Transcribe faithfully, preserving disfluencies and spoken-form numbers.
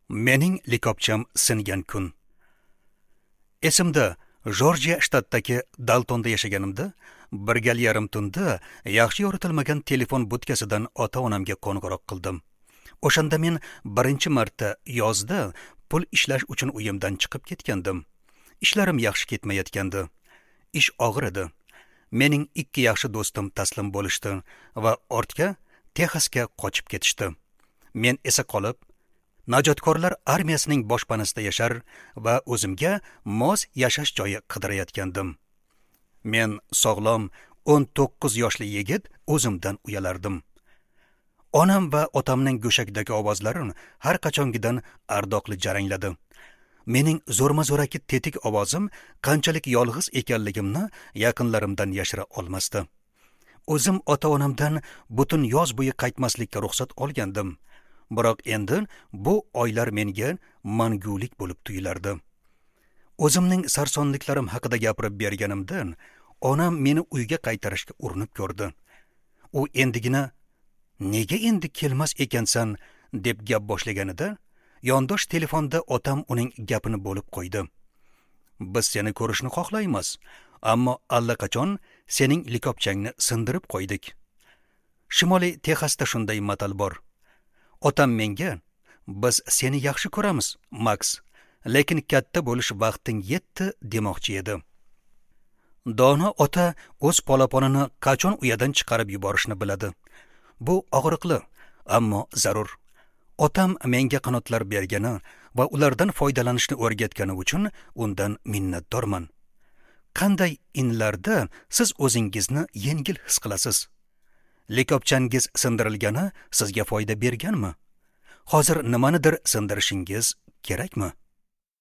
Mening likopcham singan kun. Esimda, Jorjiya shtatidagi Daltonda yashaganimda, bir gal yarim tunda yaxshi yoritilmagan telefon budkasidan ota-onamga qo'ng'iroq qildim. O'shanda men birinchi marta yozda pul ishlash uchun uyimdan chiqib ketgandim. Ishlarim yaxshi ketmayotgandi. Ish og'ir edi. Mening ikki yaxshi do'stim taslim bo'lishdi va ortga Texasga qochib ketishdi. Men esa qolib, najotkorlar armiyasining boshpanasida yashar va o'zimga mos yashash joyi qidirayotgandim. Men sog'lom o'n to'qqiz yoshli yigit o'zimdan uyalardim. Onam va otamning go'shakdagi ovozlari har qachongidan ardoqli jarangladi. Mening zo'rma-zo'raki tetik ovozim qanchalik yolg'iz ekanligimni yaqinlarimdan yashira olmasdi. O'zim ota-onamdan butun yoz bo'yi qaytmaslikka ruxsat olgandim. Biroq endi bu oylar menga mangulik bo'lib tuyulardi. O'zimning sarsonliklarim haqida gapirib berganimdan onam meni uyga qaytarishga urinib ko'rdi. U endigina "Nega endi kelmas ekansan?" deb gap boshlaganida, yondosh telefonda otam uning gapini bo'lib qo'ydi. "Biz seni ko'rishni xohlaymiz, ammo allaqachon sening likopchangni sindirib qo'ydik." Shimoliy Texasda shunday matal bor. Otam menga, "Biz seni yaxshi ko'ramiz, Max, lekin katta bo'lish vaqting yetdi" demoqchi edi. Dono ota o'z polaponini qachon uyadan chiqarib yuborishni biladi. Bu og'riqli, ammo zarur. Otam menga qanotlar bergani va ulardan foydalanishni o'rgatgani uchun undan minnatdorman. Qanday inlarda siz o'zingizni yengil his qilasiz? Likopchangiz sindirilgani sizga foyda berganmi? Hozir nimanidir sindirishingiz kerakmi?